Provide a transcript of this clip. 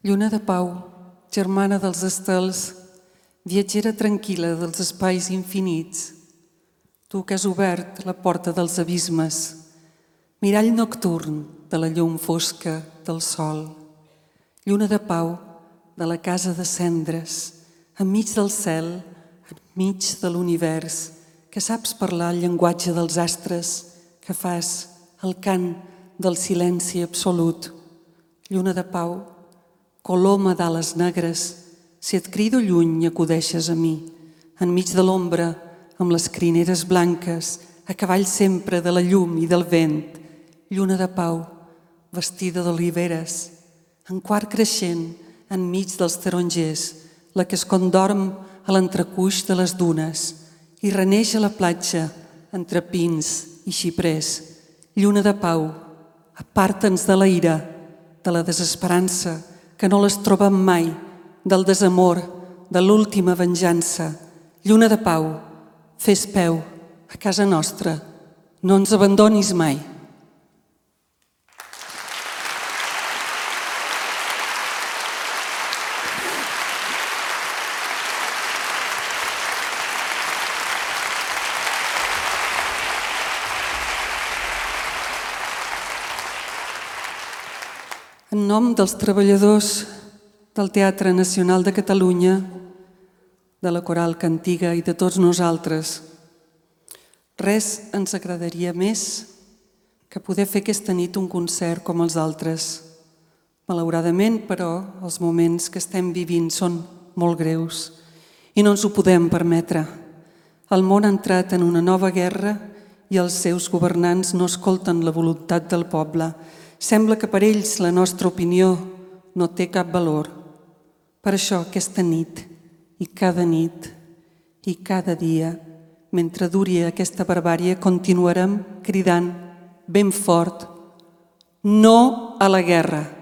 Lluna de pau, germana dels estels, viatgera tranquil·la dels espais infinits, tu que has obert la porta dels abismes, mirall nocturn de la llum fosca del sol. Lluna de pau de la casa de cendres, enmig del cel, enmig de l'univers, que saps parlar el llenguatge dels astres, que fas el cant del silenci absolut. Lluna de pau, coloma d'ales negres, si et crido lluny acudeixes a mi, enmig de l'ombra, amb les crineres blanques, a cavall sempre de la llum i del vent. Lluna de pau, vestida d'oliveres, en quart creixent, enmig dels tarongers, la que es condorm a l'entrecuix de les dunes i reneix a la platja entre pins i xiprers. Lluna de pau, aparta'ns de la ira, de la desesperança, que no les trobem mai, del desamor, de l'última venjança. Lluna de pau, fes peu a casa nostra, no ens abandonis mai. En nom dels treballadors del Teatre Nacional de Catalunya, de la Coral Cantiga i de tots nosaltres, res ens agradaria més que poder fer aquesta nit un concert com els altres. Malauradament, però, els moments que estem vivint són molt greus i no ens ho podem permetre. El món ha entrat en una nova guerra i els seus governants no escolten la voluntat del poble. Sembla que per ells la nostra opinió no té cap valor. Per això aquesta nit i cada dia, mentre duri aquesta barbàrie, continuarem cridant ben fort: no a la guerra!